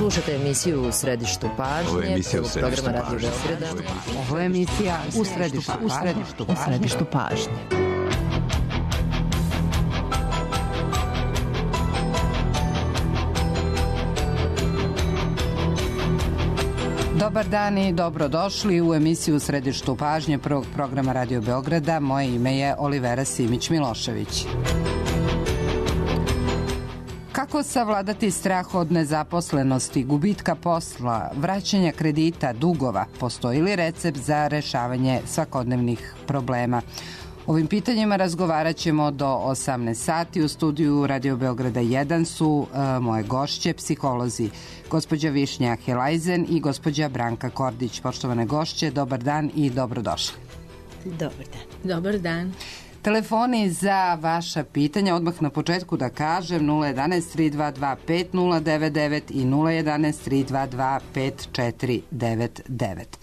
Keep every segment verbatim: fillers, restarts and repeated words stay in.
Slušajte emisiju U središtu pažnje. Ovo je emisija U središtu programa Radio pažnje. Beograda. Ovo je emisija U središtu, u središtu, u središtu pažnje. Dobar dan i dobrodošli u emisiju U središtu pažnje prvog programa Radio Beograda. Moje ime je Olivera Simić-Milošević. Kako savladati strah od nezaposlenosti, gubitka posla, vraćanja kredita, dugova? Postoji li recept za rešavanje svakodnevnih problema? Ovim pitanjima razgovarat ćemo do osamnaest sati. U studiju Radio Beograda jedan su uh, moje gošće, psiholozi, gospođa Višnja Helajzen i gospođa Branka Kordić. Poštovane gošće, dobar dan i dobrodošli. Dobar dan. Dobar dan. Telefoni za vaša pitanja, odmah na početku da kažem, nula jedanaest tri dva dva pet nula devet devet i nula jedanaest tri dva dva pet četiri devet devet.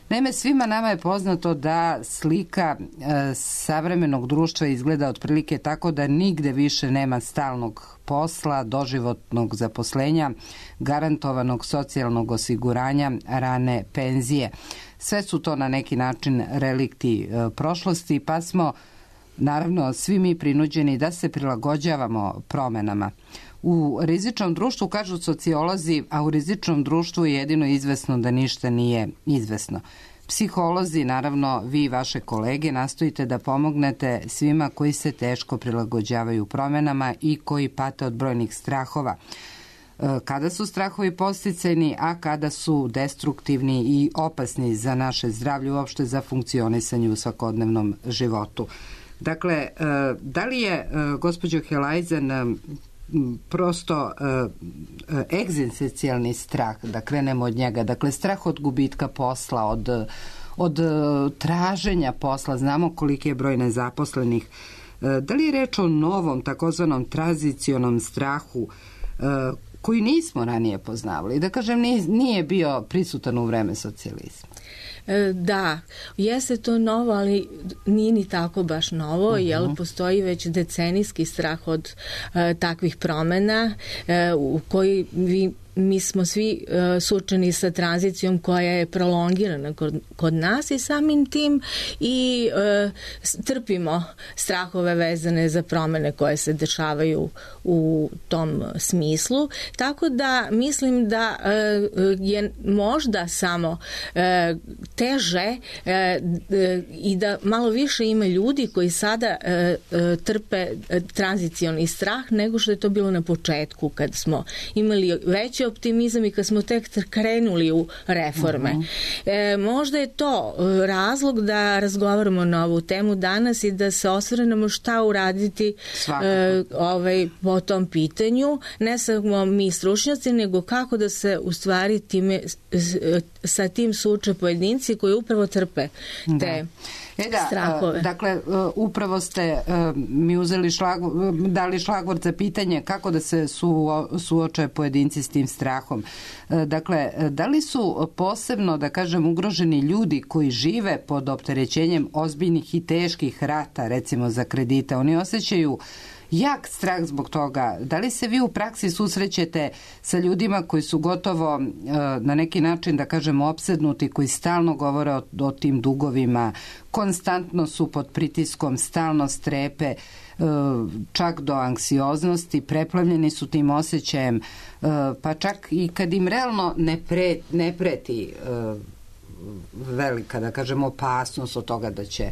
Naime, svima nama je poznato da slika e, savremenog društva izgleda otprilike tako da nigde više nema stalnog posla, doživotnog zaposlenja, garantovanog socijalnog osiguranja, rane penzije. Sve su to na neki način relikti e, prošlosti, pa smo naravno svi mi prinuđeni da se prilagođavamo promenama. U rizičnom društvu, kažu sociolozi, a u rizičnom društvu je jedino izvesno da ništa nije izvesno. Psiholozi, naravno vi i vaše kolege, nastojite da pomognete svima koji se teško prilagođavaju promenama i koji pate od brojnih strahova. Kada su strahovi podsticajni, a kada su destruktivni i opasni za naše zdravlje, uopšte za funkcionisanje u svakodnevnom životu. Dakle, da li je, gospođo Helajzen, prosto uh, egzistencijalni strah, da krenemo od njega, dakle strah od gubitka posla, od, od uh, traženja posla, znamo koliki je broj nezaposlenih. Uh, da li je reč o novom takozvanom tranzicionom strahu uh, koji nismo ranije poznavali, da kažem nije, nije bio prisutan u vreme socijalizma? Da, jeste to novo, ali nije ni tako baš novo, uh-huh. jer postoji već decenijski strah od uh, takvih promena uh, u koji vi mi smo svi uh, suočeni sa tranzicijom koja je prolongirana kod, kod nas i samim tim i uh, trpimo strahove vezane za promene koje se dešavaju u tom smislu. Tako da mislim da uh, je možda samo uh, teže uh, uh, i da malo više ima ljudi koji sada uh, uh, trpe uh, tranzicioni strah nego što je to bilo na početku kad smo imali veće optimizam i kad smo tek krenuli u reforme. Uh-huh. E, možda je to razlog da razgovaramo na ovu temu danas i da se osvrnemo šta uraditi e, ovaj, po tom pitanju. Ne samo mi stručnjaci, nego kako da se u stvari time, sa tim suče pojedinci koji upravo trpe te da. E da, strahove. Dakle, upravo ste mi uzeli šlagvor, dali šlagvor za pitanje kako da se su, suoče pojedinci s tim strahom. Dakle, da li su posebno, da kažem, ugroženi ljudi koji žive pod opterećenjem ozbiljnih i teških rata, recimo za kredite, oni osjećaju jak strah zbog toga. Da li se vi u praksi susrećete sa ljudima koji su gotovo na neki način, da kažem, opsednuti, koji stalno govore o, o tim dugovima, konstantno su pod pritiskom, stalno strepe, čak do anksioznosti, preplavljeni su tim osjećajem, pa čak i kad im realno ne, pre, ne preti velika, da kažem, opasnost od toga da će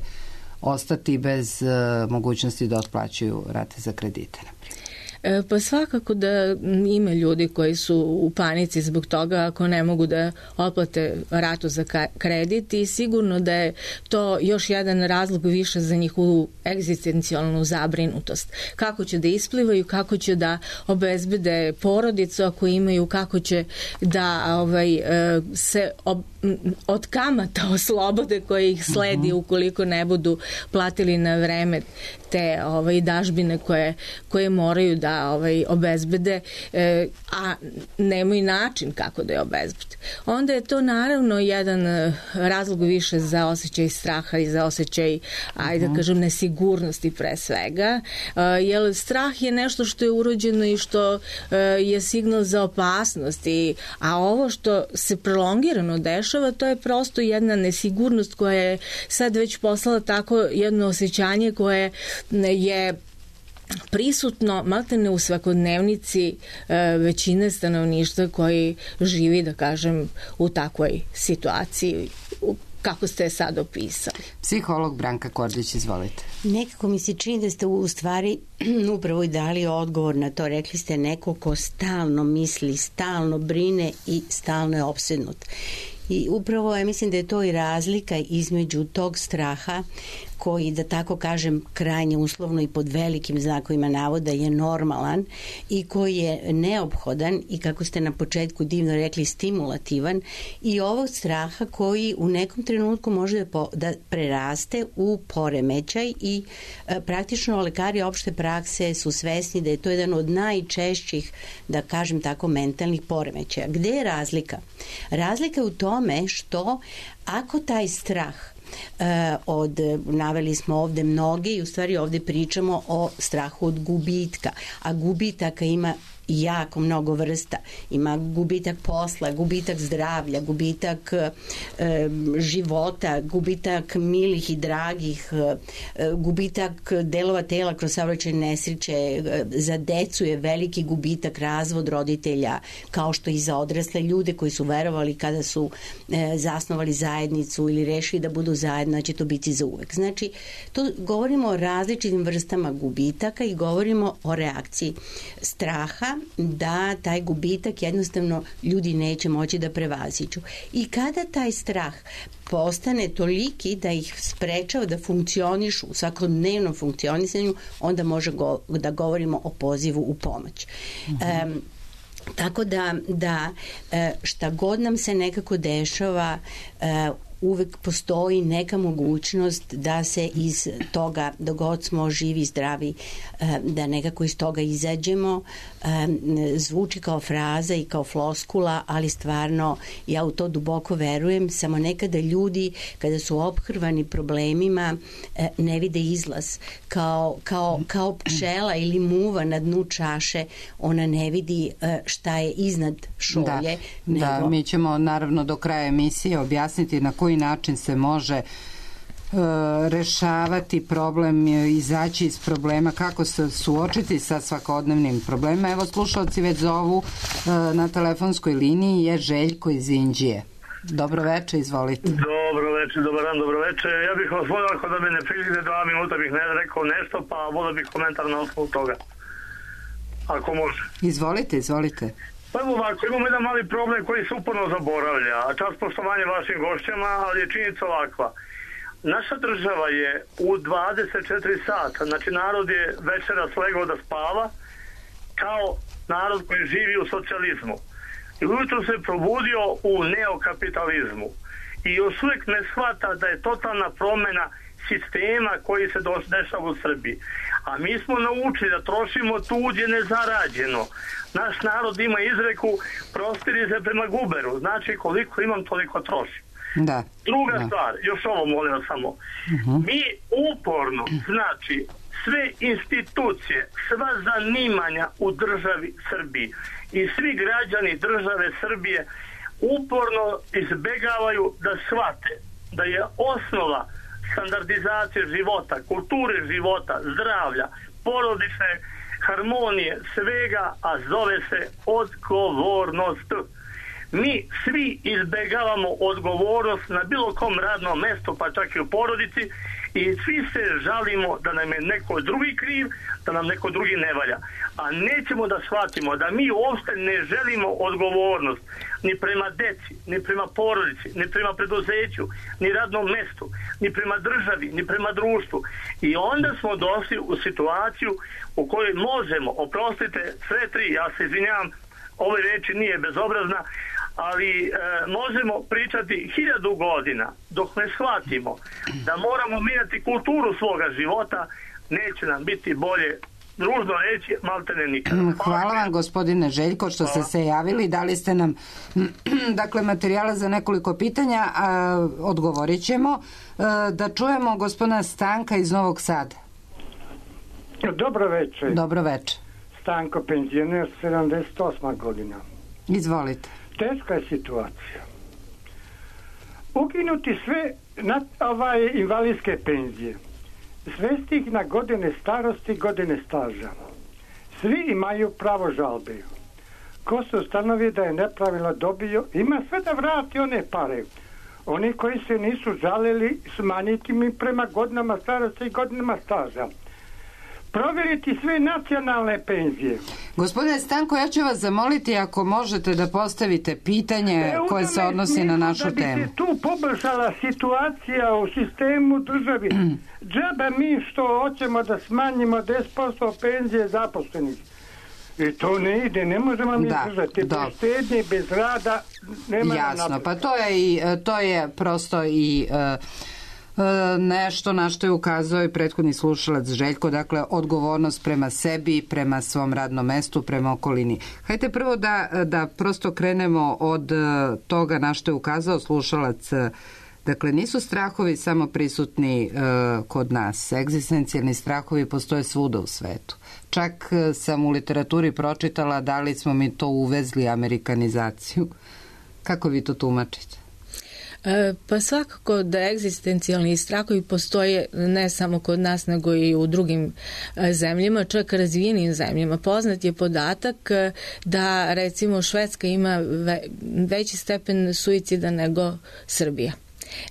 ostati bez uh, mogućnosti da otplaćuju rate za kredite, na primjer. Pa svakako da ima ljudi koji su u panici zbog toga ako ne mogu da otplate ratu za kredit i sigurno da je to još jedan razlog više za njihovu egzistencijalnu zabrinutost. Kako će da isplivaju, kako će da obezbede porodicu ako imaju, kako će da ovaj, se ob, od kamata oslobode koje ih sledi ukoliko ne budu platili na vreme te ovaj, dažbine koje, koje moraju da da ovaj, obezbede, e, a nemaju način kako da je obezbede. Onda je to naravno jedan razlog više za osjećaj straha i za osjećaj, ajde da kažem, nesigurnosti pre svega, e, jer strah je nešto što je urođeno i što e, je signal za opasnost, i, a ovo što se prolongirano dešava, to je prosto jedna nesigurnost koja je sad već poslala tako jedno osjećanje koje je prisutno maltene u svakodnevnici e, većine stanovništva koji živi, da kažem, u takvoj situaciji kako ste je sad opisali. Psiholog Branka Kordić, izvolite. Nekako mi se čini da ste u stvari upravo i dali odgovor na to. Rekli ste neko ko stalno misli, stalno brine i stalno je opsednut. I upravo ja mislim da je to i razlika između tog straha koji, da tako kažem, krajnje uslovno i pod velikim znakovima navoda je normalan i koji je neophodan i, kako ste na početku divno rekli, stimulativan, i ovog straha koji u nekom trenutku može da, po, da preraste u poremećaj i e, praktično lekari opšte prakse su svesni da je to jedan od najčešćih, da kažem tako, mentalnih poremećaja. Gde je razlika? Razlika je u tome što ako taj strah od, naveli smo ovde mnoge i u stvari ovde pričamo o strahu od gubitka, a gubitaka ima jako mnogo vrsta. Ima gubitak posla, gubitak zdravlja, gubitak e, života, gubitak milih i dragih, e, gubitak delova tela kroz saobraćajne nesreće, e, za decu je veliki gubitak razvod roditelja, kao što i za odrasle ljude koji su verovali kada su e, zasnovali zajednicu ili rešili da budu zajedno, da će to biti za uvek. Znači, to govorimo o različitim vrstama gubitaka i govorimo o reakciji straha da taj gubitak jednostavno ljudi neće moći da prevaziđu. I kada taj strah postane toliki da ih sprečava da funkcionišu u svakodnevnom funkcionisanju, onda može go, da govorimo o pozivu u pomoć. Mm-hmm. Um, tako da, da šta god nam se nekako dešava, uvek postoji neka mogućnost da se iz toga, dok god smo živi, zdravi, da nekako iz toga izađemo. Zvuči kao fraza i kao floskula, ali stvarno ja u to duboko verujem, samo nekada ljudi kada su ophrvani problemima ne vide izlaz. Kao, kao, kao pčela ili muva na dnu čaše, ona ne vidi šta je iznad šolje. Da, nego... da, mi ćemo naravno do kraja emisije objasniti na koji način se može rešavati problem, izaći iz problema, kako se suočiti sa svakodnevnim problemima. Evo, slušalci već zovu, na telefonskoj liniji je Željko iz Inđije. Dobro veče, izvolite. Dobro veče, dobar dan, dobro veče. Ja bih vas volio, ako da me ne prilike dva minuta bih ne rekao nešto, pa volio bih komentar na osnovu toga. Ako može. Izvolite, izvolite. Pa evo ovako, imamo jedan mali problem koji se uporno zaboravlja, a čast poštovanje vašim gošćama, ali je činjenica ovakva. Naša država je u dvadeset četiri sata, znači narod je večeras legao da spava, kao narod koji živi u socijalizmu. I ujutro se probudio u neokapitalizmu. I još uvijek ne shvata da je totalna promjena sistema koji se dešava u Srbiji. A mi smo naučili da trošimo tuđe nezarađeno. Naš narod ima izreku prostiri se prema guberu. Znači koliko imam, toliko trošim. Da. Druga da. stvar, još ovo molim vas samo. Uh-huh. Mi uporno, znači sve institucije, sva zanimanja u državi Srbiji i svi građani države Srbije uporno izbegavaju da shvate da je osnova standardizacije života, kulture života, zdravlja, porodične harmonije, svega, a zove se odgovornost. Mi svi izbegavamo odgovornost na bilo kom radnom mestu, pa čak i u porodici, i svi se žalimo da nam je neko drugi kriv, da nam neko drugi ne valja. A nećemo da shvatimo da mi uopšte ne želimo odgovornost ni prema deci, ni prema porodici, ni prema preduzeću, ni radnom mestu, ni prema državi, ni prema društvu. I onda smo došli u situaciju u kojoj možemo, oprostite, sve tri, ja se izvinjavam, ove reči nije bezobrazna, ali e, možemo pričati hiljadu godina dok ne shvatimo da moramo mijenjati kulturu svoga života, neće nam biti bolje ružno reći, maltene nikada. Hvala vam, gospodine Željko, što ste se javili. Dali ste nam dakle materijala za nekoliko pitanja, a odgovorit ćemo. Da čujemo gospodina Stanka iz Novog Sada. Dobro večer. Dobro večer. Stanko, penzioner, sedamdeset osma godina. Izvolite. Teška je situacija. Ukinuti sve na ovaj invalidske penzije. Svesti ih na godine starosti, godine staža. Svi imaju pravo žalbe. Ko se ustanovi da je nepravilno dobio, ima sve da vrati one pare. Oni koji se nisu žalili, smanjiti mi prema godinama starosti i godinama staža. Provjeriti sve nacionalne penzije. Gospodine Stanko, ja ću vas zamoliti ako možete da postavite pitanje e, koje se odnosi na našu temu. Da bi se tu poboljšala situacija u sistemu državi. Džaba mi što hoćemo da smanjimo deset posto penzije zaposlenih. I to ne ide, ne možemo mi da, držati. Bez štednje, bez rada, nema jasno, napred. Pa to je, i, to je prosto i... Uh, nešto na što je ukazao i prethodni slušalac Željko, dakle odgovornost prema sebi, prema svom radnom mestu, prema okolini. Hajde prvo da, da prosto krenemo od toga na što je ukazao slušalac. Dakle, nisu strahovi samo prisutni uh, kod nas. Egzistencijalni strahovi postoje svuda u svetu. Čak uh, sam u literaturi pročitala da li smo mi to uvezli, amerikanizaciju. Kako vi to tumačite? Pa svakako da egzistencijalni strahovi postoje ne samo kod nas nego i u drugim zemljama, čak razvijenim zemljama. Poznat je podatak da recimo Švedska ima veći stepen suicida nego Srbija.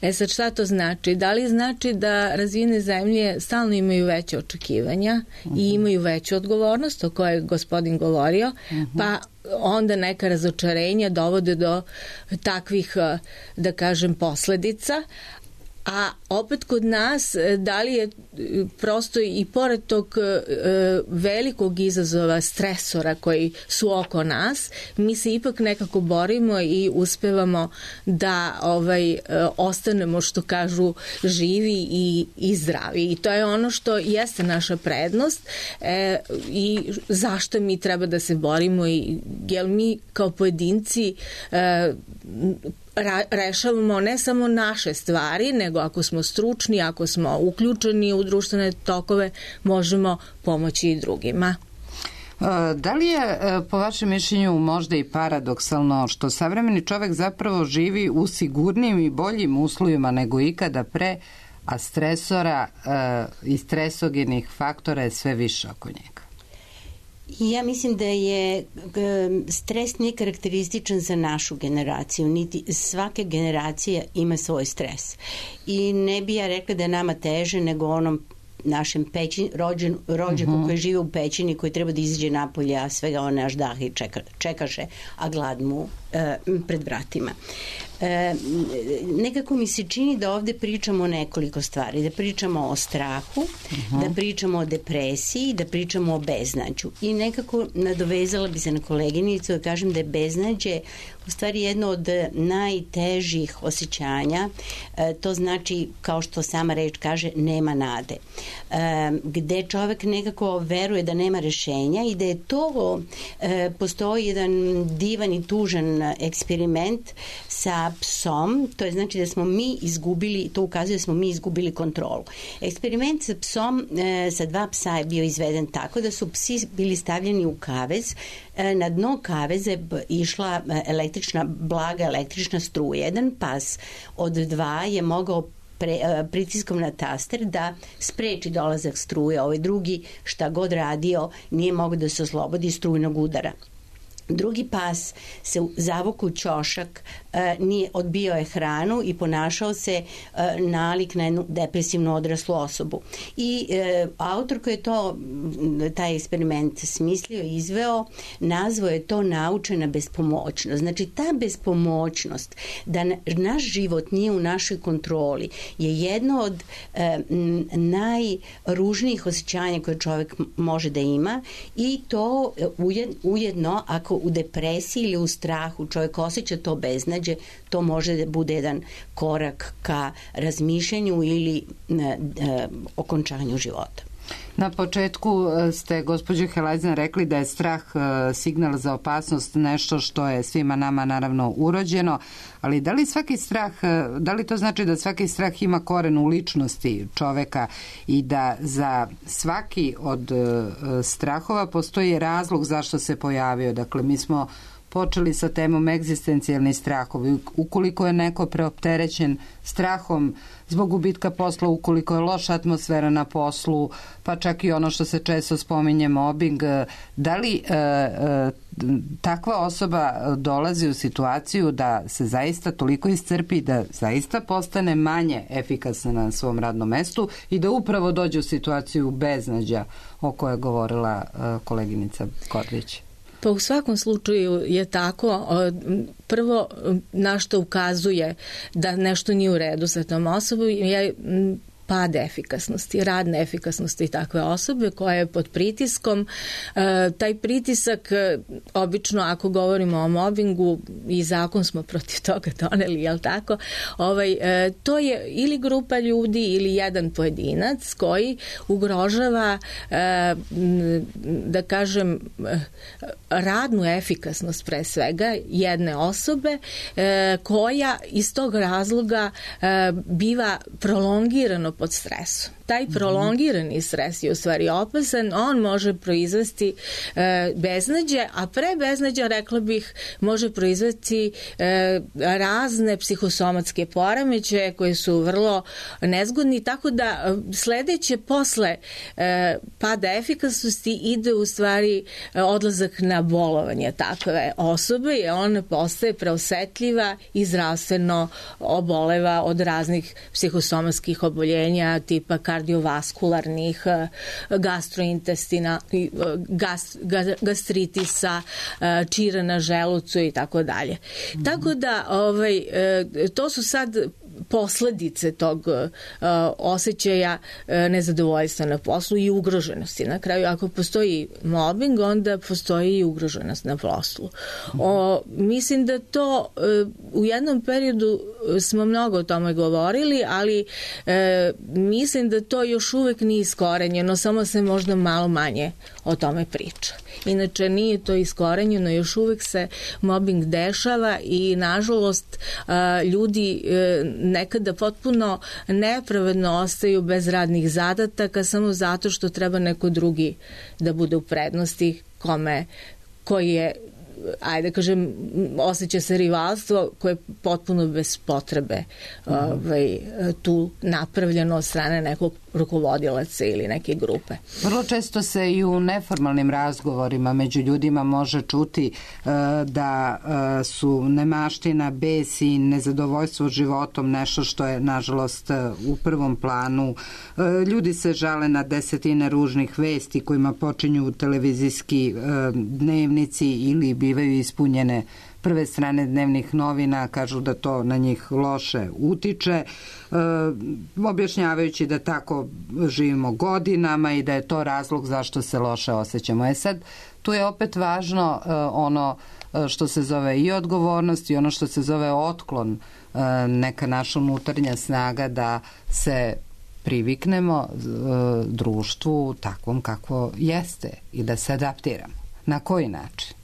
E sad šta to znači? Da li znači da razvijene zemlje stalno imaju veće očekivanja uh-huh. i imaju veću odgovornost o kojoj je gospodin govorio, uh-huh. pa onda neka razočarenja dovode do takvih, da kažem, posledica. A opet kod nas, da li je prosto i pored tog velikog izazova stresora koji su oko nas, mi se ipak nekako borimo i uspevamo da ovaj, ostanemo, što kažu, živi i, i zdravi. I to je ono što jeste naša prednost e, i zašto mi treba da se borimo, i jer mi kao pojedinci e, rešavamo ne samo naše stvari, nego ako smo stručni, ako smo uključeni u društvene tokove, možemo pomoći i drugima. Da li je, po vašem mišljenju, možda i paradoksalno što savremeni čovek zapravo živi u sigurnijim i boljim uslovima nego ikada pre, a stresora i stresogenih faktora je sve više oko njega? Ja mislim da je stres nije karakterističan za našu generaciju, niti svake generacije ima svoj stres. I ne bi ja rekla da je nama teže nego onom našem pećin, rođen, rođaku uh-huh. koji žive u pećini, koji treba da izađe napolje, a svega one až dahi čeka, čekaše, a glad mu e, pred vratima. E, nekako mi se čini da ovde pričamo o nekoliko stvari, da pričamo o strahu, uh-huh. da pričamo o depresiji, da pričamo o beznađu. I nekako nadovezala bi se na koleginicu da kažem da je beznađe u stvari jedno od najtežih osjećanja. E, to znači, kao što sama reč kaže, nema nade. E, gde čovek nekako veruje da nema rešenja i da je to, e, postoji jedan divan i tužan eksperiment sa psom, to je znači da smo mi izgubili, to ukazuje da smo mi izgubili kontrolu. Eksperiment sa psom, e, sa dva psa je bio izveden tako da su psi bili stavljeni u kavez, e, na dno kaveze išla električna, blaga električna struja. Jedan pas od dva je mogao pre, pritiskom na taster da spreči dolazak struje, ovaj drugi šta god radio nije mogao da se oslobodi strujnog udara. Drugi pas se zavukao u ćošak, nije, odbio je hranu i ponašao se nalik na jednu depresivnu odraslu osobu. I e, autor koji je to, taj eksperiment smislio i izveo, nazvao je to naučena bespomoćnost. Znači ta bespomoćnost, da naš život nije u našoj kontroli, je jedno od e, najružnijih osjećanja koje čovjek može da ima, i to ujedno, ako u depresiji ili u strahu čovjek osjeća to beznađe, to može da bude jedan korak ka razmišljanju ili e, e, okončanju života. Na početku ste, gospođo Helajzan, rekli da je strah signal za opasnost, nešto što je svima nama naravno urođeno, ali da li svaki strah, da li to znači da svaki strah ima koren u ličnosti čoveka i da za svaki od strahova postoji razlog zašto se pojavio? Dakle, mi smo počeli sa temom egzistencijalni strahovi. Ukoliko je neko preopterećen strahom zbog gubitka posla, ukoliko je loša atmosfera na poslu, pa čak i ono što se često spominje mobbing, da li e, e, takva osoba dolazi u situaciju da se zaista toliko iscrpi, da zaista postane manje efikasna na svom radnom mestu i da upravo dođe u situaciju beznađa o kojoj je govorila e, koleginica Kordić? Pa u svakom slučaju je tako. Prvo, na što ukazuje da nešto nije u redu sa tom osobom je pad efikasnosti, rad neefikasnosti takve osobe koja je pod pritiskom. E, taj pritisak, obično ako govorimo o mobingu, i zakon smo protiv toga doneli, jel tako, ovaj, e, to je ili grupa ljudi ili jedan pojedinac koji ugrožava, e, da kažem, radnu efikasnost pre svega jedne osobe, e, koja iz tog razloga e, biva prolongirano pod stresom. Taj prolongirani stres je u stvari opasan, on može proizvesti e, beznađe, a pre beznađa, rekla bih, može proizvesti e, razne psihosomatske poremećaje koji su vrlo nezgodni, tako da sledeće posle e, pada efikasnosti ide u stvari odlazak na bolovanje takve osobe i ona postaje preosetljiva i zdravstveno oboleva od raznih psihosomatskih oboljenja tipa kardiovaskularnih, gastrointestina, gas, gastritisa, čira na želucu i tako dalje. Tako da ovaj, to su sad posledice tog uh, osjećaja uh, nezadovoljstva na poslu i ugroženosti. Na kraju, ako postoji mobbing, onda postoji i ugroženost na poslu. O, mislim da to uh, u jednom periodu smo mnogo o tome govorili, ali uh, mislim da to još uvek nije iskorenjeno, samo se možda malo manje o tome priča. Inače, nije to iskorenjeno, još uvek se mobbing dešava i, nažalost, uh, ljudi uh, nekada potpuno nepravedno ostaju bez radnih zadataka samo zato što treba neko drugi da bude u prednosti kome, koji je, ajde kažem, osjeća se rivalstvo koje je potpuno bez potrebe mm. ovaj, tu napravljeno od strane nekog rukovodilaca ili neke grupe. Vrlo često se i u neformalnim razgovorima među ljudima može čuti uh, da uh, su nemaština, bes i nezadovoljstvo životom nešto što je, nažalost, uh, u prvom planu. Uh, ljudi se žale na desetine ružnih vesti kojima počinju televizijski uh, dnevnici ili bivaju ispunjene prve strane dnevnih novina, kažu da to na njih loše utiče, e, objašnjavajući da tako živimo godinama i da je to razlog zašto se loše osjećamo. E sad, tu je opet važno e, ono što se zove i odgovornost i ono što se zove otklon, e, neka naša unutarnja snaga da se priviknemo e, društvu takvom kakvo jeste i da se adaptiramo. Na koji način?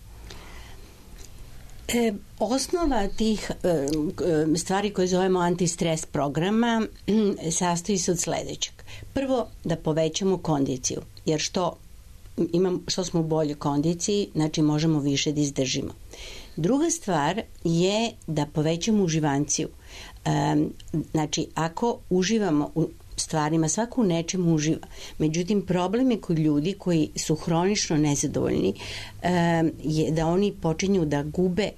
E, osnova tih e, stvari koje zovemo antistres programa sastoji se od sledećeg. Prvo, da povećamo kondiciju, jer što, imam, što smo u boljoj kondiciji, znači možemo više da izdržimo. Druga stvar je da povećamo uživanciju. E, znači, ako uživamo u stvarima, svako u nečemu uživa. Međutim, problem je kod ljudi koji su hronično nezadovoljni je da oni počinju da gube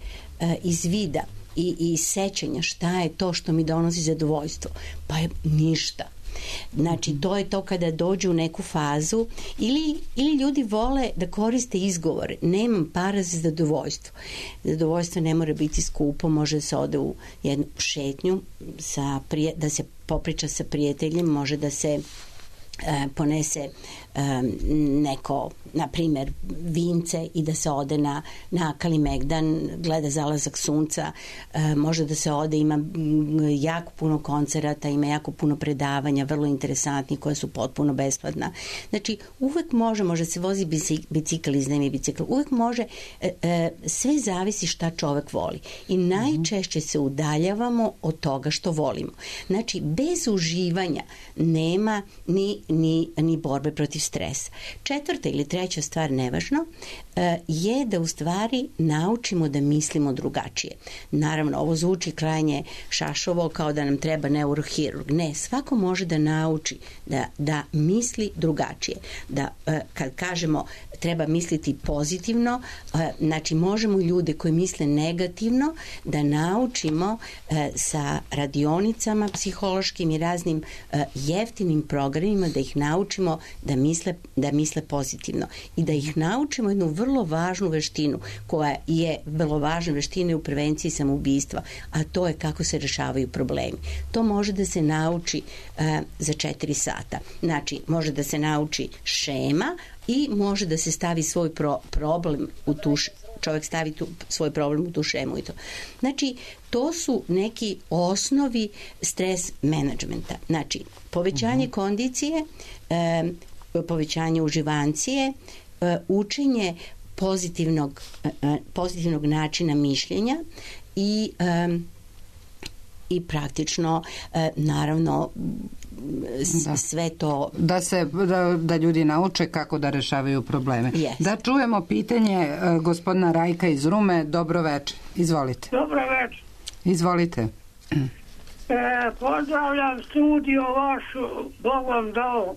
iz vida i, i sećanja šta je to što mi donosi zadovoljstvo. Pa je ništa. Znači, to je to kada dođu u neku fazu ili, ili ljudi vole da koriste izgovore. Nemam para za zadovoljstvo. Zadovoljstvo ne mora biti skupo, može da se ode u jednu šetnju, sa prije, da se popriča sa prijateljem, može da se e, ponese neko, na primjer, vince i da se ode na, na Kalimegdan, gleda zalazak sunca, može da se ode, ima jako puno koncerata, ima jako puno predavanja, vrlo interesantni, koja su potpuno besplatna. Znači, uvek može, može se vozi bicikl, iznajmi bicikl, uvek može, sve zavisi šta čovek voli. I najčešće se udaljavamo od toga što volimo. Znači, bez uživanja nema ni, ni, ni borbe protiv stresa. Četvrta ili treća stvar, nevažno, je da u stvari naučimo da mislimo drugačije. Naravno, ovo zvuči krajnje šašovo, kao da nam treba neurohirurg. Ne, svako može da nauči da, da misli drugačije. Da, kad kažemo treba misliti pozitivno, znači možemo ljude koji misle negativno da naučimo sa radionicama psihološkim i raznim jeftinim programima, da ih naučimo da misle, da misle pozitivno i da ih naučimo jednu vrlo važnu veštinu koja je vrlo važna veština u prevenciji samoubistva, a to je kako se rešavaju problemi. To može da se nauči uh, za četiri sata. Znači, može da se nauči šema i može da se stavi svoj pro, problem u tu, čovjek stavi tu, svoj problem u tu šemu i to. Znači, to su neki osnovi stres menadžmenta. Znači, povećanje uh-huh. kondicije, um, povećanje uživancije, učenje pozitivnog, pozitivnog načina mišljenja i, i praktično, naravno, da. sve to... Da, se, da, da ljudi nauče kako da rešavaju probleme. Yes. Da čujemo pitanje gospodina Rajka iz Rume. Dobro večer. Izvolite. Dobro večer. Izvolite. E, pozdravljam studio vašu, Bog vam dao.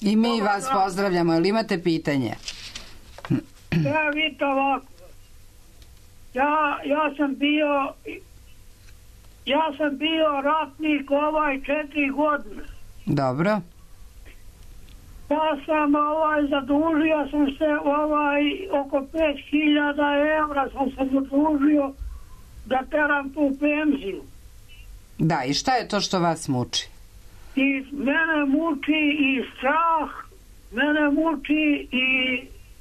I mi Dobar vas dan. Pozdravljamo. Ili imate pitanje? Ja, vidite ovako. Ja, ja sam bio ja sam bio ratnik ovaj četiri godine. Dobro. Ja sam ovaj zadužio sam se ovaj oko pet hiljada evra sam se zadužio da teram tu penziju. Da, i šta je to što vas muči? I mene muči i strah, mene muči i,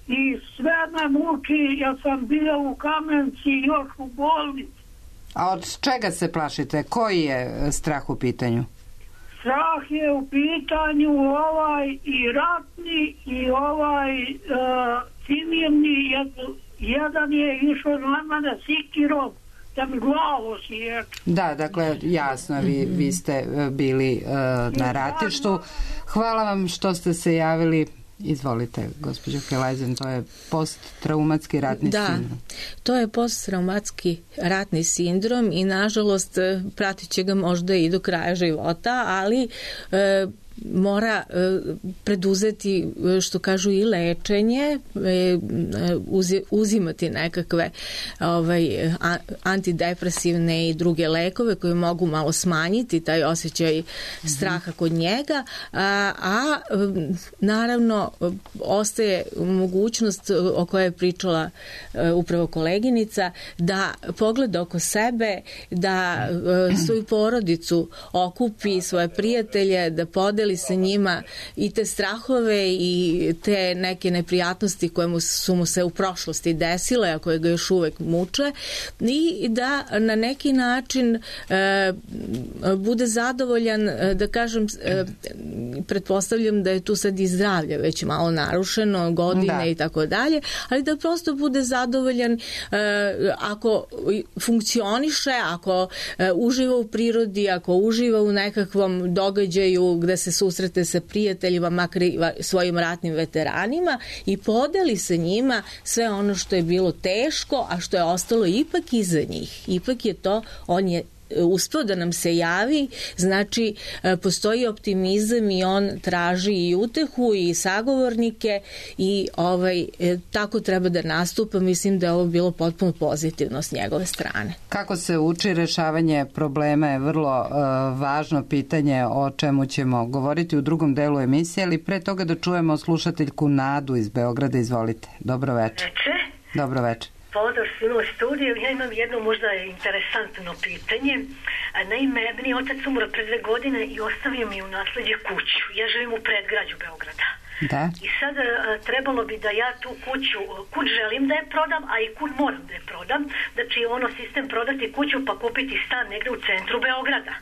i sve me muči, ja sam bio u Kamenci još u bolnici. A od čega se plašite? Koji je strah u pitanju? Strah je u pitanju ovaj i ratni i ovaj uh, civilni, jed, jedan je išao na mene sikirom da mi glavu sječe. Da, dakle, jasno, vi, vi ste bili uh, na ratištu. Hvala vam što ste se javili. Izvolite, gospođo Kelajzen, to je posttraumatski ratni da, sindrom. Da, to je posttraumatski ratni sindrom i nažalost pratit će ga možda i do kraja života, ali e, mora e, preduzeti, što kažu, i lečenje, e, uzi, uzimati nekakve ovaj, a, antidepresivne i druge lekove koje mogu malo smanjiti taj osjećaj straha kod njega, a, a naravno ostaje mogućnost o kojoj je pričala e, upravo koleginica, da pogleda oko sebe, da e, svoju porodicu okupi, svoje prijatelje, da podeli sa njima i te strahove i te neke neprijatnosti koje mu, su mu se u prošlosti desile, a koje ga još uvek muče, i da na neki način e, bude zadovoljan, da kažem, e, pretpostavljam da je tu sad i zdravlje već malo narušeno, godine da. I tako dalje, ali da prosto bude zadovoljan e, ako funkcioniše, ako e, uživa u prirodi, ako uživa u nekakvom događaju gde se susrete sa prijateljima, makar i svojim ratnim veteranima, i podeli sa njima sve ono što je bilo teško, a što je ostalo ipak iza njih. Ipak je to, on je uspeo da nam se javi, znači postoji optimizam i on traži i utehu i sagovornike i ovaj, tako treba da nastupa. Mislim da je ovo bilo potpuno pozitivno s njegove strane. Kako se uči rešavanje problema je vrlo uh, važno pitanje o čemu ćemo govoriti u drugom delu emisije, ali pre toga da čujemo slušateljku Nadu iz Beograda. Izvolite. Dobro večer. Večer. Dobro večer. Pozdrav svima u studiju. Ja imam jedno možda interesantno pitanje. Naime, meni otac umro pre dve godine i ostavio mi u nasledđe kuću. Ja živim u predgrađu Beograda. Da. I sad trebalo bi da ja tu kuću, kud želim da je prodam, a i kud moram da je prodam. Znači ono sistem prodati kuću pa kupiti stan negde u centru Beograda.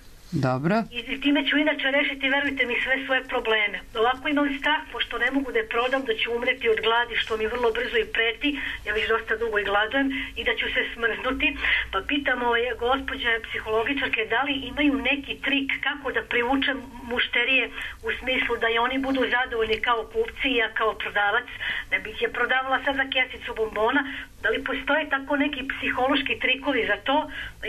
Dobro. I time ću inače rešiti, verujte mi, sve svoje probleme. Ovako imam strah, pošto ne mogu da je prodam, da ću umreti od gladi, što mi vrlo brzo i preti, ja već dosta dugo i gladujem, i da ću se smrznuti. Pa pitam ove gospođe psihologičarke da li imaju neki trik kako da privučem mušterije u smislu da i oni budu zadovoljni kao kupci i ja kao prodavac. Ne bih je prodavala sad za kesicu bombona. Da li postoje tako neki psihološki trikovi za to?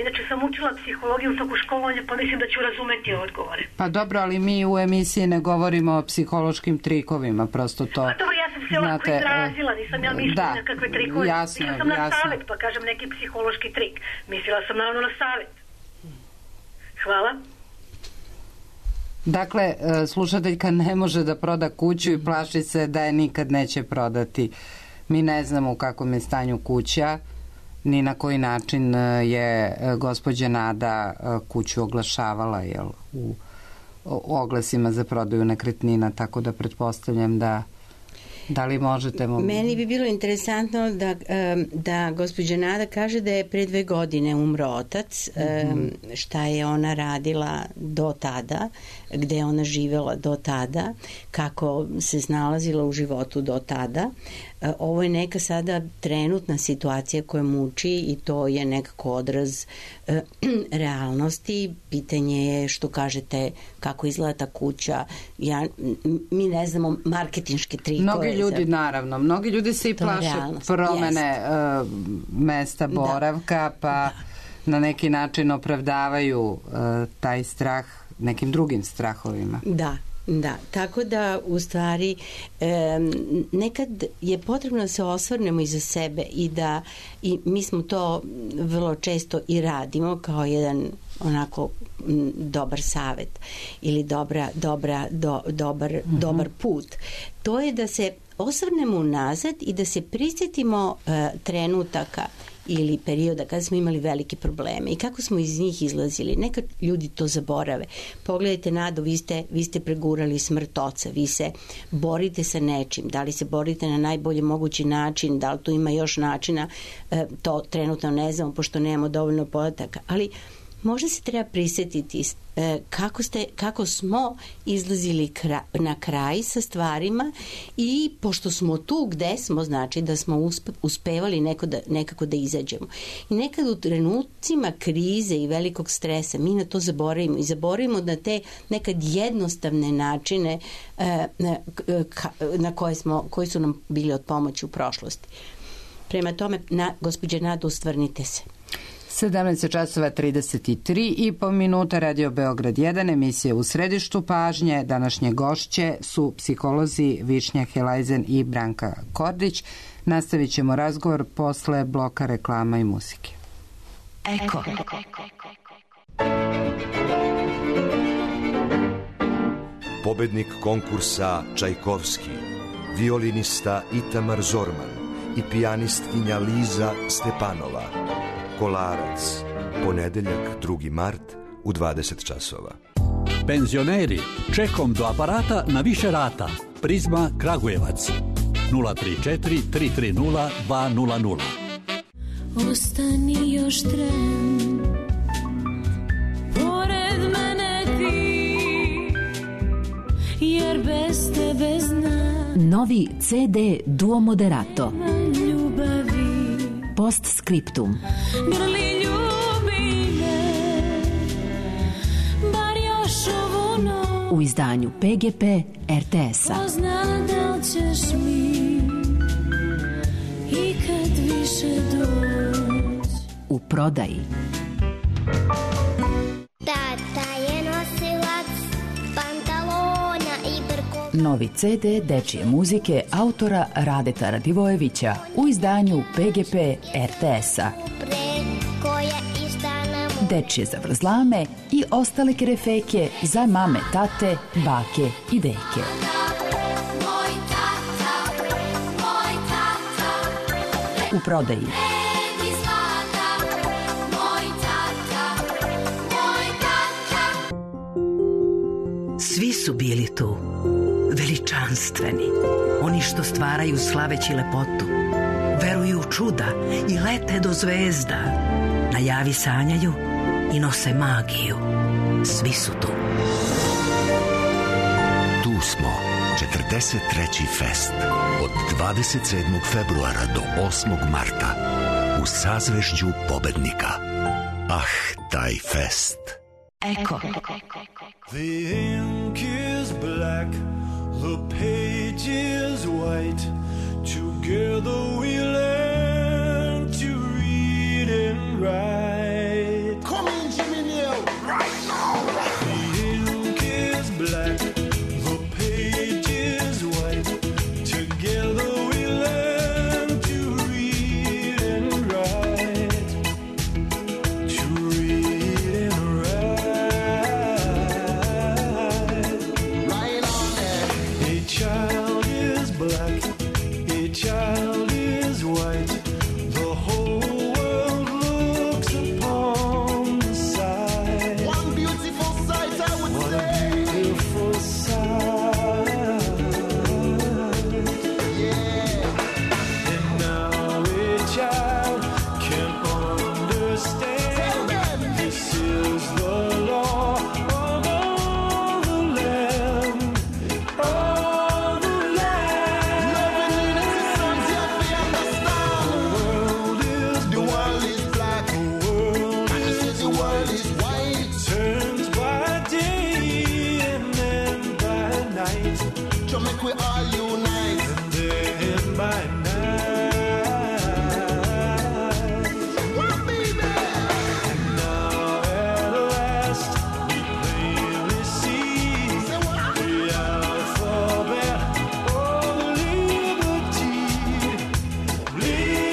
Inače sam učila psihologiju u toku školovanja, pa mislim da ću razumeti odgovore. Pa dobro, ali mi u emisiji ne govorimo o psihološkim trikovima, prosto to... Pa dobro, ja sam se lako izrazila, nisam ja mislila na kakve trikove. Jasno, mislila sam na jasno. savjet, pa kažem neki psihološki trik. Mislila sam naravno na savjet. Hvala. Dakle, slušateljka ne može da proda kuću i plaši se da je nikad neće prodati. Mi ne znamo u kakvom je stanju kuća, ni na koji način je gospođa Nada kuću oglašavala, jel, u oglasima za prodaju nekretnina, tako da pretpostavljam da da li možete... Mo... Meni bi bilo interesantno da, da gospođa Nada kaže da je pre dve godine umro otac, mm-hmm. šta je ona radila do tada, gde je ona živjela do tada, kako se snalazila u životu do tada. Ovo je neka sada trenutna situacija koja muči i to je nekako odraz e, realnosti. Pitanje je što kažete kako izgleda ta kuća. Ja, mi ne znamo marketinške trikove. Mnogi ljudi, za... naravno, mnogi ljudi se i plaše promene uh, mesta boravka, da. pa da. na neki način opravdavaju uh, taj strah nekim drugim strahovima. Da. Da, tako da u stvari e, nekad je potrebno da se osvrnemo iza sebe i da i mi smo to vrlo često i radimo kao jedan onako m, dobar savet ili dobra, dobra, do, dobar, mm-hmm. dobar put. To je da se osvrnemo unazad i da se prisjetimo e, trenutaka ili perioda kada smo imali velike probleme i kako smo iz njih izlazili. Neka ljudi to zaborave. Pogledajte, Nado, vi ste, vi ste pregurali smrt oca, vi se borite sa nečim, da li se borite na najbolji mogući način, da li tu ima još načina, to trenutno ne znamo pošto nemamo dovoljno podataka, ali možda se treba prisjetiti kako, ste, kako smo izlazili kra, na kraj sa stvarima i pošto smo tu gde smo, znači da smo uspe, uspevali neko da, nekako da izađemo. I nekad u trenucima krize i velikog stresa mi na to zaboravimo i zaboravimo na te nekad jednostavne načine na, na koje, smo, koji su nam bili od pomoći u prošlosti. Prema tome, na, gospođe Nado, ustvrnite se. sedamnaest časova trideset tri i po minuta, Radio Beograd jedan, emisija U središtu pažnje. Današnje gošće su psiholozi Višnja Helajzen i Branka Kordić. Nastavit ćemo razgovor posle bloka reklama i muzike. Eko. Pobednik konkursa Čajkovski, violinista Itamar Zorman i pijanistkinja Liza Stepanova. Kolarac, ponedeljak drugi mart u dvadeset časova. Penzioneri, čekom do aparata na više rata. Prizma Kragujevac nula tri četiri tri tri nula dva nula nula. Ostani još tren, pored mene ti, jer bez tebe znam. Novi ce de Duo Moderato. Ljubavi. Postscriptum. Grli ljubi me, bar još ovu noć. U izdanju pe ge pe er te es-a. Pozna da li ćeš mi ikad više doći. U prodaji. Tata je nosilac pantalona i brko. Novi ce de dečije muzike autora Radeta Radivojevića u izdanju pe ge pe er te es-a. Dečije zavrzlame i ostale kerefeke za mame, tate, bake i deke. U prodaji. bili tu, veličanstveni, oni što stvaraju slaveći lepotu, veruju u čuda i lete do zvezda, na javi sanjaju i nose magiju. Svi su tu. Tu smo, četrdeset treći fest, od dvadeset sedmog februara do osmog marta, u sazvežđu pobednika. Ah, taj fest. Eko. The ink is black, the page is white. Together we learn to read and write. Come in, Jimmy Neal, right now. The ink is black, the page is white. Together we learn to read and write. To read and write. Right on there. A child is black, a child is white. The whole world looks upon the sight. One beautiful sight, I would what say. What a beautiful sight. Yeah. And now a child can understand. This is the law of all the land. All the land. Loving innocence, yet we understand. The world is the world is black. The world is the world is white. Turns by day and then by night. To make we all unite. And then by night. Well, baby. And now at last we plainly see the alphabet of liberty. Liberty.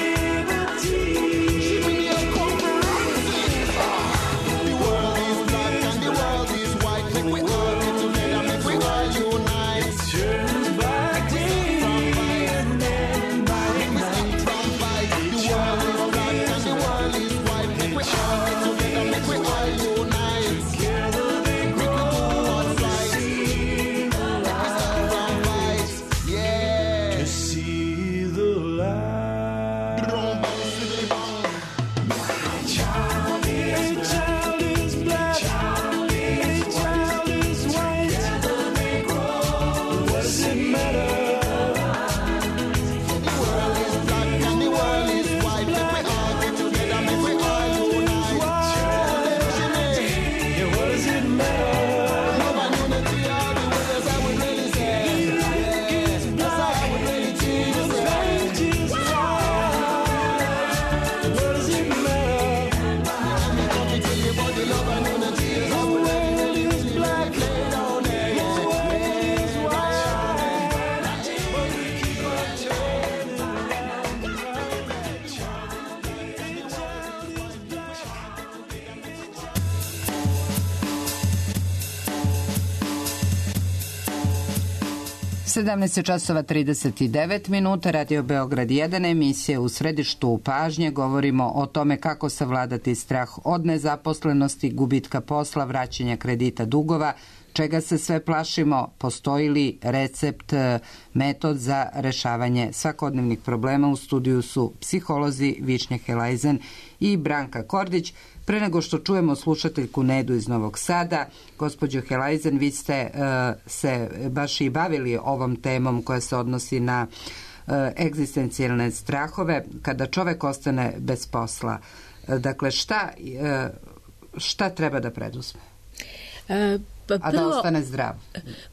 The world is black and the world is white. Make we all get together, make we all unite. Turns by day and then by night. The world is black and the world is white. Make we all get together, make we all unite. Together they grow what's right. Yeah. To see the light. A child is black, a child is white. Together they grow. What does it matter? The world is black and the world is white. Make we all get together, make we all unite. Yeah, what does it matter? Love and unity are the words I would really say. Yeah, that's how I would really choose to say. What does it matter? I'm going to tell you about the love and unity is how we really is black. Lay down there, yeah. The world is white, but we keep on turning around. The child is black. sedamnaest časova trideset devet minuta, Radio Beograd jedan, emisije U središtu pažnje. Govorimo o tome kako savladati strah od nezaposlenosti, gubitka posla, vraćanja kredita, dugova, čega se sve plašimo, postoji li recept, metod za rešavanje svakodnevnih problema. U studiju su psiholozi Višnja Helajzen i Branka Kordić. Pre nego što čujemo slušateljku Nedu iz Novog Sada, gospođo Helajzen, vi ste uh, se baš i bavili ovom temom koja se odnosi na uh, egzistencijalne strahove kada čovek ostane bez posla. Uh, dakle, šta, uh, šta treba da preduzme? E, pa prvo, a da ostane zdrav?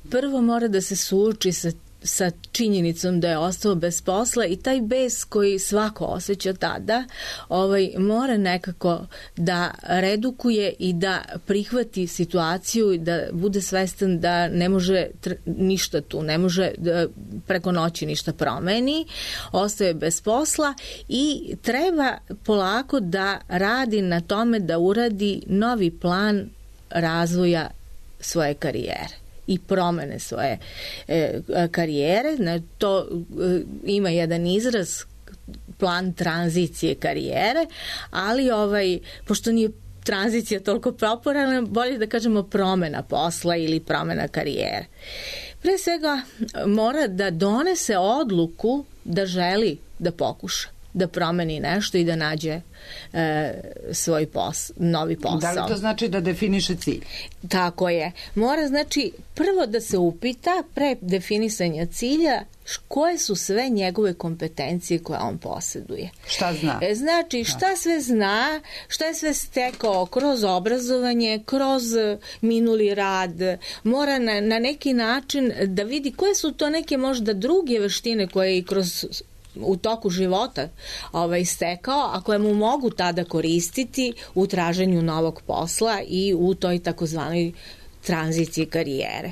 Prvo mora da se suoči sa sa činjenicom da je ostao bez posla i taj bes koji svako osjeća tada ovaj, mora nekako da redukuje i da prihvati situaciju i da bude svestan da ne može ništa tu, ne može da preko noći ništa promeni, ostaje bez posla i treba polako da radi na tome da uradi novi plan razvoja svoje karijere i promene svoje e, karijere. To e, ima jedan izraz, plan tranzicije karijere, ali ovaj, pošto nije tranzicija toliko popularna, bolje da kažemo promena posla ili promena karijere. Pre svega mora da donese odluku da želi da pokuša, da promeni nešto i da nađe e, svoj pos, novi posao. Da li to znači da definiše cilj? Tako je. Mora znači prvo da se upita pre definisanja cilja koje su sve njegove kompetencije koje on posjeduje. Šta zna? E, znači šta sve zna, šta je sve stekao kroz obrazovanje, kroz minuli rad. Mora na, na neki način da vidi koje su to neke možda druge veštine koje i kroz u toku života ovaj, stekao, a koje mu mogu tada koristiti u traženju novog posla i u toj takozvanoj tranziciji karijere.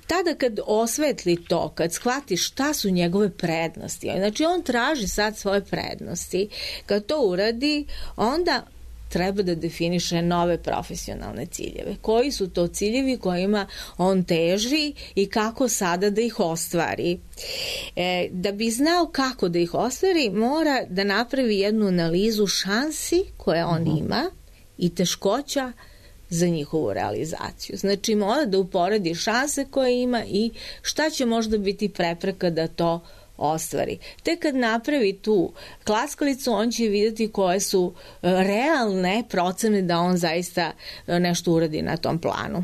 Tada kad osvetli to, kad shvati šta su njegove prednosti, znači on traži sad svoje prednosti, kad to uradi, onda treba da definiše nove profesionalne ciljeve. Koji su to ciljevi kojima on teži i kako sada da ih ostvari. E, da bi znao kako da ih ostvari, mora da napravi jednu analizu šansi koje on uh-huh. ima i teškoća za njihovu realizaciju. Znači mora da uporedi šanse koje ima i šta će možda biti prepreka da to ostvari. Te kad napravi tu klackalicu, on će vidjeti koje su realne procene da on zaista nešto uradi na tom planu.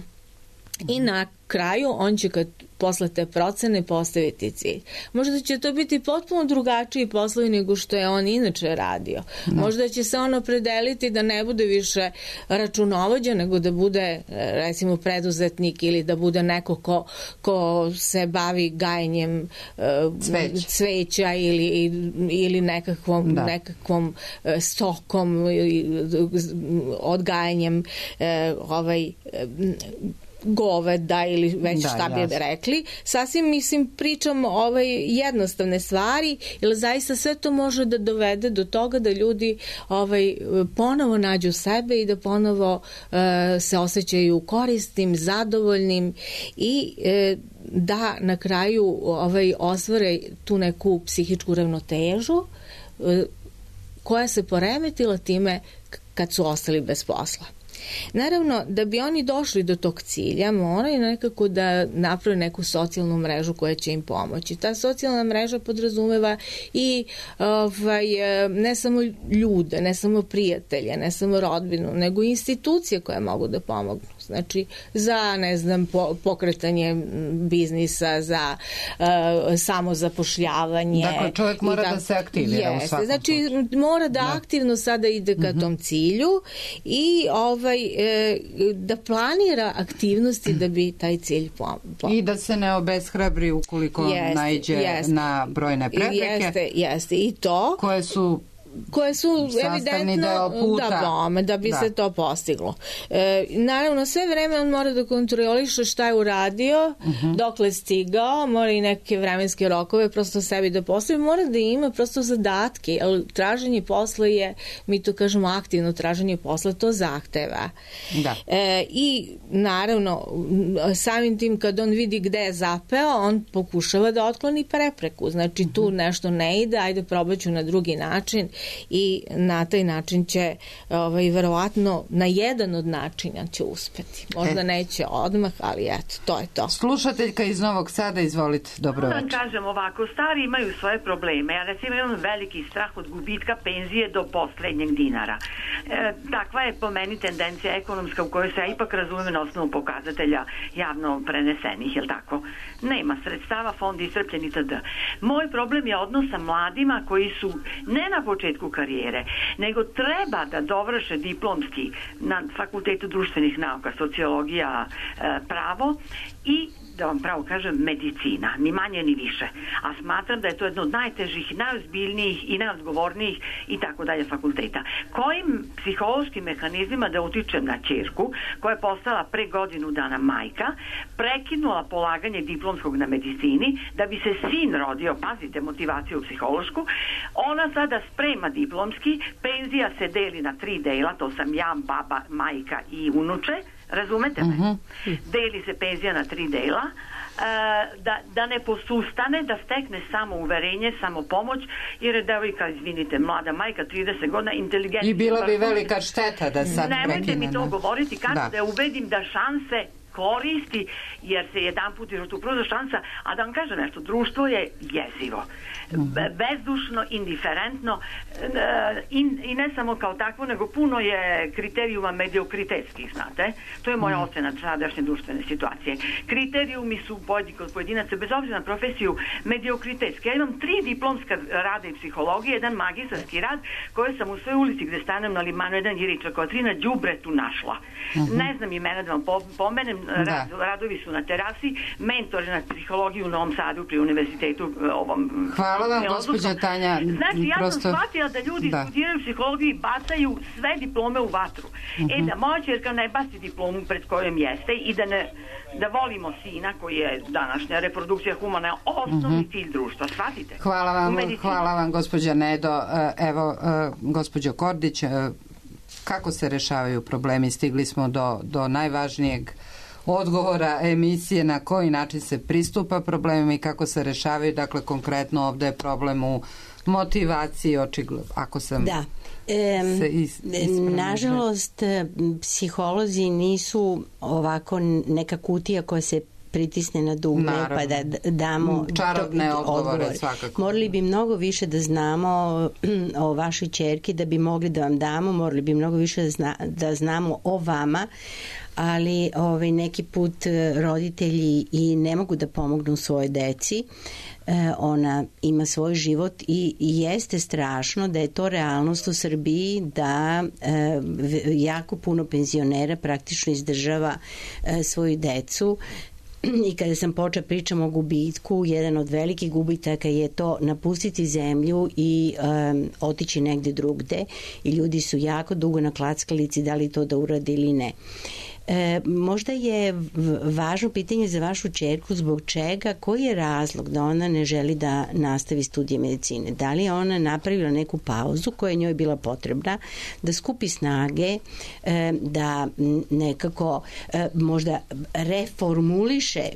I na kraju on će kad posle te procene postaviti cilj. Možda će to biti potpuno drugačiji poslovi nego što je on inače radio. No. Možda će se on opredeliti da ne bude više računovođa, nego da bude recimo preduzetnik ili da bude neko ko, ko se bavi gajenjem uh, Cveć. cveća ili, ili nekakvom, nekakvom uh, stokom, odgajanjem uh, ovaj uh, goveda ili već da, šta bi jasno. rekli. Sasvim, mislim, pričam ovaj, jednostavne stvari, jer zaista sve to može da dovede do toga da ljudi ovaj, ponovo nađu sebe i da ponovo uh, se osjećaju korisnim, zadovoljnim i uh, da na kraju ovaj, ostvare tu neku psihičku ravnotežu uh, koja se poremetila time kad su ostali bez posla. Naravno, da bi oni došli do tog cilja, moraju nekako da naprave neku socijalnu mrežu koja će im pomoći. Ta socijalna mreža podrazumeva i ovaj, ne samo ljude, ne samo prijatelje, ne samo rodbinu, nego i institucije koje mogu da pomognu. Znači, za, ne znam, po, pokretanje biznisa, za uh, samozapošljavanje. Dakle, čovjek mora da, da se aktivira jeste, u svakom znači, slučaju. mora da, da aktivno sada ide ka uh-huh. tom cilju i ovaj, e, da planira aktivnosti da bi taj cilj pomogao. I da se ne obeshrabri ukoliko jeste, naiđe jeste. na brojne prepreke. Jeste, jeste. I to. Koje su koje su evidentno da, bome, da bi da. se to postiglo. E, naravno, sve vreme on mora da kontroliše šta je uradio, uh-huh. dokle stigao, mora i neke vremenske rokove prosto sebi da postavi, mora da ima prosto zadatke, jer traženje posla je, mi to kažemo aktivno traženje posla, to zahteva. Da. E, I naravno, samim tim kad on vidi gde je zapeo, on pokušava da otkloni prepreku. Znači, uh-huh. tu nešto ne ide, ajde probaću na drugi način i na taj način će ovaj, verovatno na jedan od načina će uspeti. Možda e. neće odmah, ali eto, to je to. Slušateljka iz Novog Sada, izvolite, dobro večer. Da kažem ovako, stari imaju svoje probleme. Ja recimo imam veliki strah od gubitka penzije do poslednjeg dinara. E, takva je po meni tendencija ekonomska u kojoj se ja ipak razumem na osnovu pokazatelja javno prenesenih, jel tako? Nema sredstava, fond iscrpljen itd. Moj problem je odnos sa mladima koji su ne na početku karijere, nego treba da dovrše diplomski na Fakultetu društvenih nauka, sociologija, pravo i da vam pravo kažem, medicina, ni manje ni više. A smatram da je to jedno od najtežih, najozbiljnijih i najodgovornijih i tako dalje fakulteta. Kojim psihološkim mehanizmima da utičem na ćerku, koja je postala pre godinu dana majka, prekinula polaganje diplomskog na medicini, da bi se sin rodio, pazite motivaciju psihološku, ona sada sprema diplomski, penzija se deli na tri dela, to sam ja, baba, majka i unuče, razumete me? Uh-huh. Deli se penzija na tri dela, da, da ne posustane, da stekne samo uverenje, samo pomoć, jer je devojka, izvinite, mlada majka, trideset godina, inteligentna. I bila bi velika šteta da sad prekine. Nemojte mi to da. govoriti, kako Da. da je ubedim da šanse koristi, jer se jedan put je tu pruža šansa, a da vam kažem nešto, društvo je jezivo, Be- bezdušno, indiferentno e, in, i ne samo kao takvo, nego puno je kriterijuma mediokritetskih, znate, to je moja ocena sadašnje društvene situacije. Kriterijumi su pojedini kod pojedinaca, bez obzira na profesiju, mediokritetski. Ja imam tri diplomska rada i psihologije, jedan magistarski rad koji sam u svojoj ulici gde stanem na Limanu, jedan Jiriča Kotrina, đubretu našla. Mhm. Ne znam imena da vam po- pomenem, Da. radovi su na terasi, mentor na psihologiju u Novom Sadu pri univerzitetu ovom. Hvala vam, filozofskom. gospođa Tanja. Znači, ja prosto... sam shvatila da ljudi Da. studiraju psihologiju i bacaju sve diplome u vatru. Mhm. E, da moja ćerka ne baci diplomu pred kojom jeste i da ne da volimo sina koji je današnja reprodukcija humana osnovni Mhm. cilj društva, shvatite? Hvala U vam, medicini. hvala vam, gospođa Nedo. E, Evo, e, gospođo Kordić, e, kako se rešavaju problemi? Stigli smo do, do najvažnijeg odgovora emisije, na koji način se pristupa problemima i kako se rešavaju. Dakle, konkretno ovde je problem u motivaciji, očigledno, ako sam Da. Em, se is, ispravno- nažalost, psiholozi nisu ovako neka kutija koja se pritisne na dugme Naravno. pa da d- damo Čarobne to- odgovore, svakako. Morali bi mnogo više da znamo o vašoj ćerki da bi mogli da vam damo, morali bi mnogo više da, zna, da znamo o vama, ali ovaj, neki put eh, roditelji i ne mogu da pomognu svojoj deci. E, ona ima svoj život i, i jeste strašno da je to realnost u Srbiji, da e, v- jako puno penzionera praktično izdržava e, svoju decu. I kada sam počela pričam o gubitku, jedan od velikih gubitaka je to napustiti zemlju i um, otići negde drugde, i ljudi su jako dugo na klackalici da li to da urade ili ne. E, možda je v- važno pitanje za vašu ćerku zbog čega, koji je razlog da ona ne želi da nastavi studije medicine? Da li je ona napravila neku pauzu koja je njoj bila potrebna, da skupi snage, e, da m, nekako e, možda reformuliše e,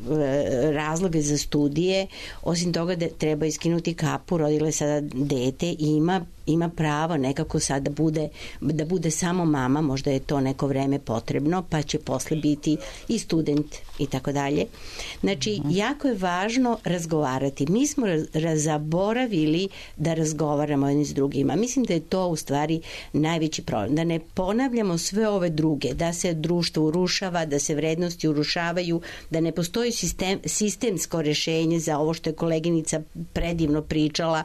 razloge za studije, osim toga da treba iskinuti kapu, rodila je sada dete i ima ima pravo nekako sad da bude, da bude samo mama, možda je to neko vreme potrebno, pa će posle biti i student i tako dalje. Znači, jako je važno razgovarati. Mi smo raz- zaboravili da razgovaramo jedni s drugima. Mislim da je to u stvari najveći problem. Da ne ponavljamo sve ove druge, da se društvo urušava, da se vrednosti urušavaju, da ne postoji sistem, sistemsko rešenje za ovo što je koleginica predivno pričala,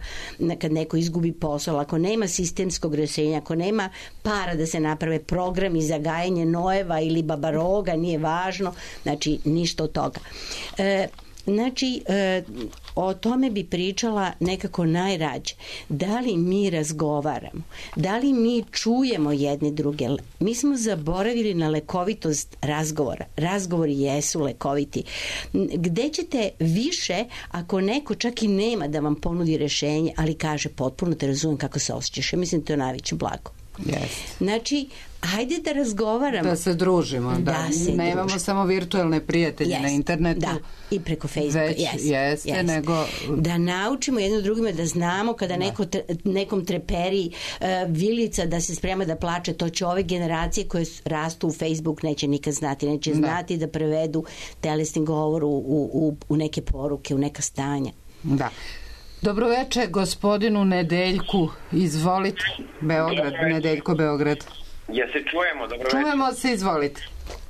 kad neko izgubi posao. Ako nema sistemskog rešenja, ako nema para da se naprave programi za gajanje nojeva ili babaroga, nije važno, znači ništa od toga. E, Znači, e, o tome bi pričala nekako najrađe. Da li mi razgovaramo? Da li mi čujemo jedni druge? Mi smo zaboravili na lekovitost razgovora. Razgovori jesu lekoviti. Gde ćete više ako neko čak i nema da vam ponudi rešenje, ali kaže potpuno te razumijem kako se osjećaš. Ja mislim da to je najveće blago. Yes. Znači, hajde da razgovaramo. Da se družimo, da, Da se nemamo družimo. samo virtualne prijatelje Yes, na internetu. Da, i preko Facebooka. Već yes, jeste, yes. nego... Da naučimo jedno drugima, da znamo kada neko tre, nekom treperi uh, vilica da se sprema da plače, to će ove generacije koje s- rastu u Facebook neće nikad znati, neće Da. znati da prevedu telesni govor u, u, u, u neke poruke, u neka stanja. Da. Dobroveče gospodinu Nedeljku, izvolite. Beograd, Nedeljko, Beograd. Ja se čujemo, dobro večer. Čujemo se, izvolite.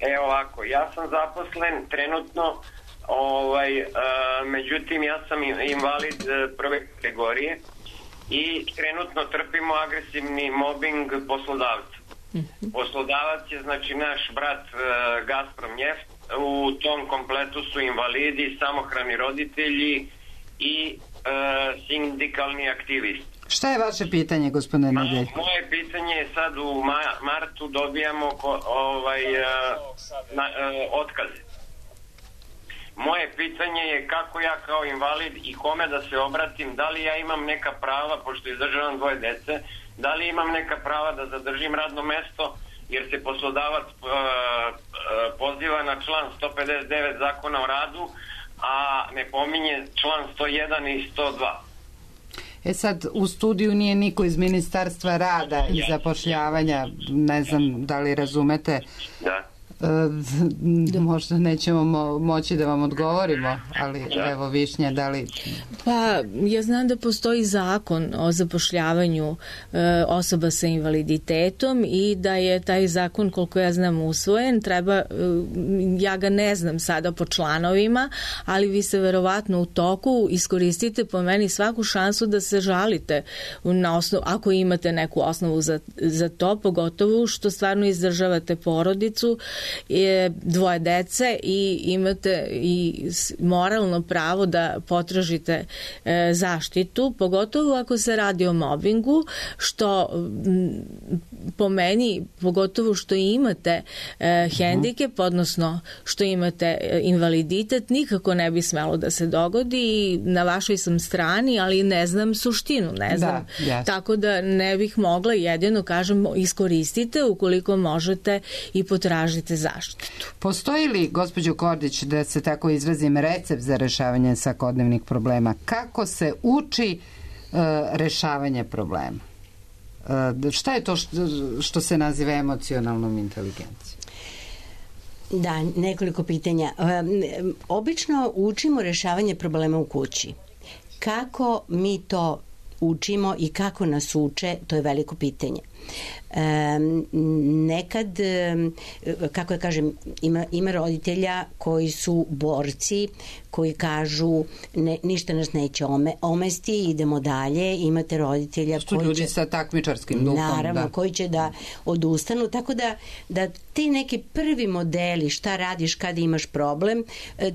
E ovako, ja sam zaposlen trenutno, ovaj, e, međutim ja sam invalid e, prve kategorije i trenutno trpimo agresivni mobbing poslodavca. Poslodavac je znači naš brat e, Gazprom Njeft, u tom kompletu su invalidi, samohrani roditelji i e, sindikalni aktivisti. Šta je vaše pitanje, gospodine Nedeljko? Moje pitanje je sad u ma- martu dobijamo ko, ovaj, e, na, e, otkaze. Moje pitanje je kako ja kao invalid i kome da se obratim, da li ja imam neka prava, pošto izdržavam dvoje dece, da li imam neka prava da zadržim radno mesto, jer se poslodavac e, e, poziva na član sto pedeset devet zakona o radu, a ne pominje član sto jedan i sto dva. E sad, u studiju nije niko iz Ministarstva rada i zapošljavanja, ne znam da li razumete. Da. E, možda nećemo mo- moći da vam odgovorimo, ali evo Višnja, da li... Pa, ja znam da postoji zakon o zapošljavanju e, osoba sa invaliditetom i da je taj zakon, koliko ja znam, usvojen. Treba, e, ja ga ne znam sada po članovima, ali vi se verovatno u toku iskoristite po meni svaku šansu da se žalite na osnovu, ako imate neku osnovu za, za to, pogotovo što stvarno izdržavate porodicu, je dvoje dece i imate i moralno pravo da potražite e, zaštitu, pogotovo ako se radi o mobingu, što m, po meni, pogotovo što imate e, hendikep, odnosno što imate e, invaliditet, nikako ne bi smelo da se dogodi i na vašoj sam strani, ali ne znam suštinu, ne znam. Da, yes. Tako da ne bih mogla, jedino kažem, iskoristite ukoliko možete i potražite zaštitu. Postoji li, gospođo Kordić, da se tako izrazim, recept za rešavanje svakodnevnih problema? Kako se uči uh, rešavanje problema? Uh, šta je to što, što se naziva emocionalnom inteligencijom? Da, nekoliko pitanja. Um, obično učimo rešavanje problema u kući. Kako mi to učimo i kako nas uče, to je veliko pitanje. Um, nekad, um, kako ja kažem, ima, ima roditelja koji su borci, koji kažu ne, ništa nas neće ome, omesti, idemo dalje. Imate roditelja što koji ljudi će, sa takmičarskim duhom, naravno, da. koji će da odustanu, tako da, da ti neki prvi modeli, šta radiš kada imaš problem,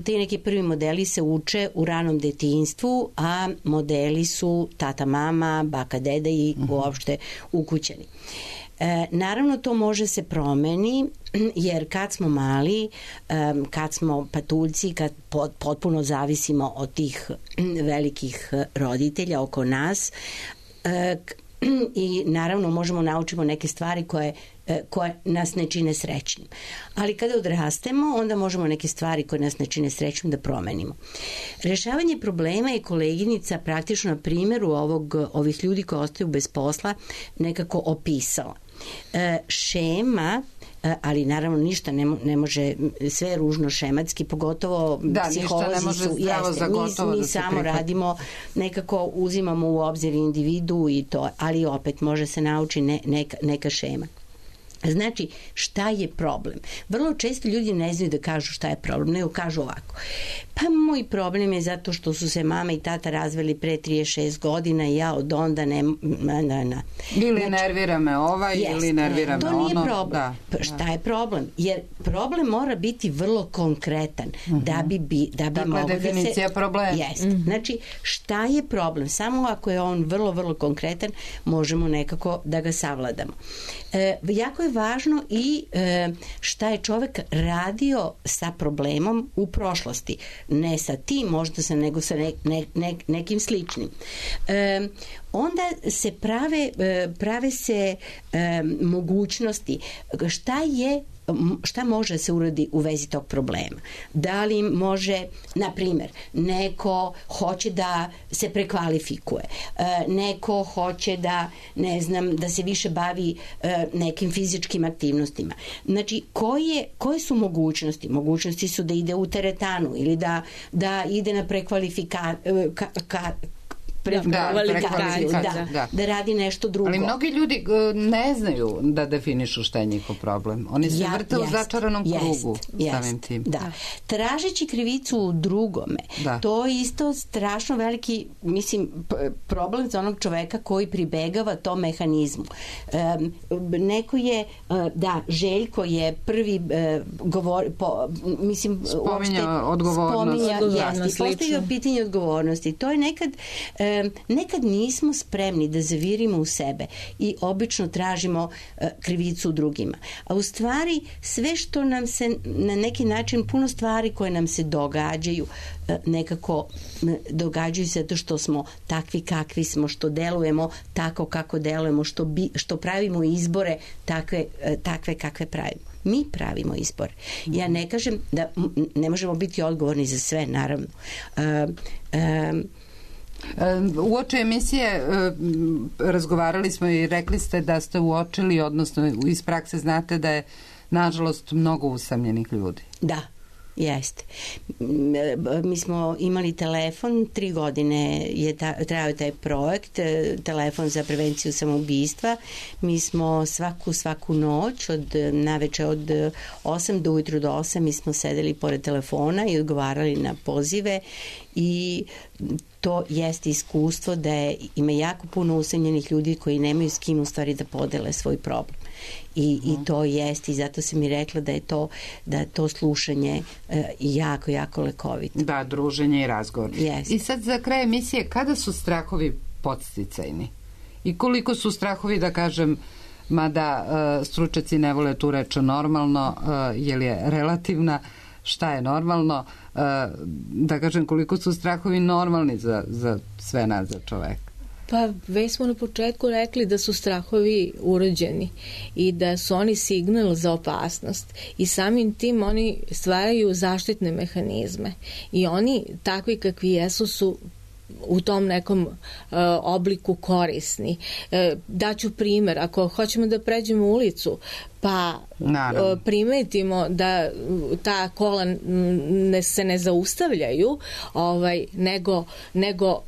ti neki prvi modeli se uče u ranom detinjstvu, a modeli su tata, mama, baka, deda i uh-huh. uopšte ukućeni. E, naravno to može se promeni jer kad smo mali, kad smo patuljci, kad potpuno zavisimo od tih velikih roditelja oko nas i naravno možemo naučimo neke stvari koje koje nas ne čine srećnim. Ali kada odrastemo, onda možemo neke stvari koje nas ne čine srećnim da promenimo. Rešavanje problema je koleginica praktično na primjeru ovog, ovih ljudi koji ostaju bez posla nekako opisala. E, šema, ali naravno ništa ne, ne može, sve je ružno šematski, pogotovo da, psiholozi može su, jeste, mi, mi samo prihvat. radimo, nekako uzimamo u obzir individu i to, ali opet može se nauči ne, neka, neka šema. Znači, šta je problem? Vrlo često ljudi ne znaju da kažu šta je problem, nego kažu ovako. Pa moj problem je zato što su se mama i tata razveli pre trideset šest godina i ja od onda ne... Na, na, na. Ili znači, nervira me ovaj, jest, ili nervira me ono. To nije problem. Da, šta je problem? Jer problem mora biti vrlo konkretan uh-huh. da bi, bi, da bi dakle, mogo da se... definicija problema. Jest. Uh-huh. Znači, šta je problem? Samo ako je on vrlo, vrlo konkretan, možemo nekako da ga savladamo. E, jako je važno i e, šta je čovek radio sa problemom u prošlosti. Ne sa tim možda sa, nego sa ne, ne, ne, nekim sličnim. E, onda se prave, prave se e, mogućnosti šta je šta može se uradi u vezi tog problema. Da li može, na primjer, neko hoće da se prekvalifikuje, neko hoće da, ne znam, da se više bavi nekim fizičkim aktivnostima. Znači, koje, koje su mogućnosti? Mogućnosti su da ide u teretanu ili da, da ide na prekvalifikaciju, ka, ka, prekvalifikaciju, da, da, da. da radi nešto drugo. Ali mnogi ljudi ne znaju da definišu šta je njihov problem. Oni se ja, vrte jest, u začaranom krugu jest, samim tim. Da. Tražeći krivicu u drugome, da. To je isto strašno veliki, mislim, problem za onog čoveka koji pribegava tom mehanizmu. Um, neko je, da, Željko je prvi uh, govor, po, mislim, spominja odgovornost. Spominja, jest, postavio pitanje odgovornosti. To je nekad uh, nekad nismo spremni da zavirimo u sebe i obično tražimo uh, krivicu u drugima. A u stvari sve što nam se na neki način, puno stvari koje nam se događaju uh, nekako uh, događaju se zato što smo takvi kakvi smo, što delujemo tako kako delujemo, što, bi, što pravimo izbore takve, uh, takve kakve pravimo. Mi pravimo izbor. Ja ne kažem da ne možemo biti odgovorni za sve, naravno. Um, um, Uoči emisije razgovarali smo i rekli ste da ste uočili, odnosno iz prakse znate da je nažalost mnogo usamljenih ljudi. Da, jeste. Mi smo imali telefon, tri godine je ta, trajao taj projekt, telefon za prevenciju samoubistva. Mi smo svaku, svaku noć, od naveče od osam do ujutru do osam, mi smo sedeli pored telefona i odgovarali na pozive i to jeste iskustvo da je, ima jako puno usamljenih ljudi koji nemaju s kim u stvari da podele svoj problem. I, i to jeste i zato sam i rekla da je to, da je to slušanje e, jako, jako lekovito. Da, druženje i razgovor. Yes. I sad za kraj emisije, kada su strahovi podsticajni? I koliko su strahovi, da kažem, mada e, stručnjaci ne vole tu reč normalno, e, jer je relativna, šta je normalno, e, da kažem koliko su strahovi normalni za, za sve nas, za čoveka? Pa već smo na početku rekli da su strahovi urođeni i da su oni signal za opasnost i samim tim oni stvaraju zaštitne mehanizme i oni takvi kakvi jesu su u tom nekom uh, obliku korisni. Uh, daću primjer, ako hoćemo da pređemo ulicu pa uh, primetimo da ta kola ne, se ne zaustavljaju ovaj, nego, nego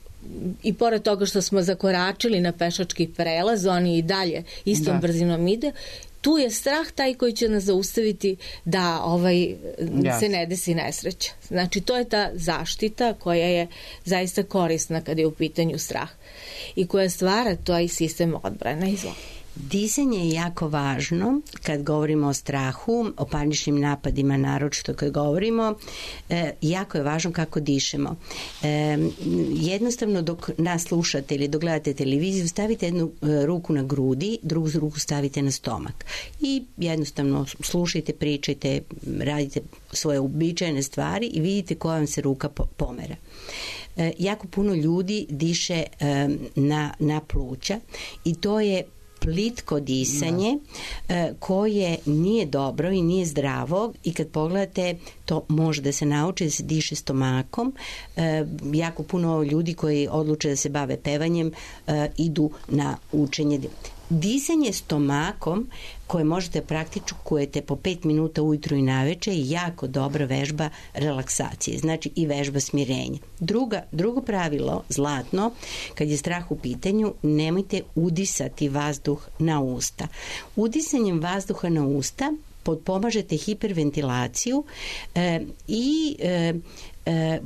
i pored toga što smo zakoračili na pešački prelaz, oni i dalje istom da. brzinom ide, tu je strah taj koji će nas zaustaviti da ovaj, yes. se ne desi nesreća. Znači, to je ta zaštita koja je zaista korisna kada je u pitanju strah i koja stvara taj sistem odbrane. Izvolite. Disanje je jako važno kad govorimo o strahu, o paničnim napadima, naročito kad govorimo, e, jako je važno kako dišemo. E, jednostavno dok nas slušate ili dok gledate televiziju, stavite jednu e, ruku na grudi, drugu ruku stavite na stomak i jednostavno slušajte, pričajte, radite svoje uobičajene stvari i vidite koja vam se ruka po, pomera. E, jako puno ljudi diše e, na, na pluća i to je plitko disanje da. koje nije dobro i nije zdravo i kad pogledate to može da se nauči da se diše stomakom. E, jako puno ljudi koji odluče da se bave pevanjem e, idu na učenje. Disanje stomakom koje možete praktikujete po pet minuta ujutru i naveče je jako dobra vežba relaksacije, znači i vežba smirenja. Druga, drugo pravilo, zlatno, kad je strah u pitanju, nemojte udisati vazduh na usta. Udisanjem vazduha na usta potpomažete hiperventilaciju e, i e, e,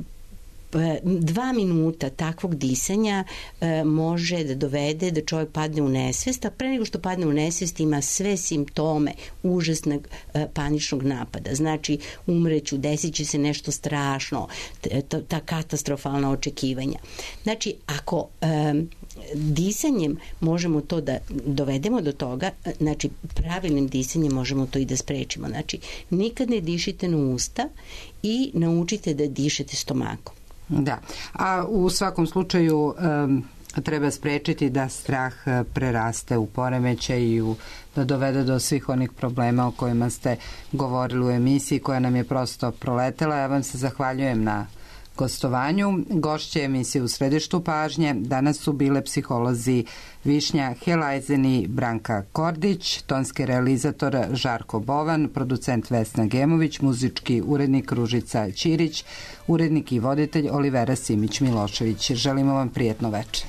dva minuta takvog disanja e, može da dovede da čovjek padne u nesvest, a pre nego što padne u nesvest ima sve simptome užasnog e, paničnog napada. Znači, umreću, desit će se nešto strašno, t, t, ta katastrofalna očekivanja. Znači, ako e, disanjem možemo to da dovedemo do toga, znači pravilnim disanjem možemo to i da sprečimo. Znači, nikad ne dišite na usta i naučite da dišete stomakom. Da, a u svakom slučaju um, treba sprečiti da strah preraste u poremećaj i u, da dovede do svih onih problema o kojima ste govorili u emisiji koja nam je prosto proletela. Ja vam se zahvaljujem na gostovanju. Gošće emisije U središtu pažnje danas su bile psiholozi Višnja Helajzen i Branka Kordić, tonski realizator Žarko Bovan, producent Vesna Gemović, muzički urednik Ružica Ćirić, urednik i voditelj Olivera Simić Milošević. Želimo vam prijetno večer.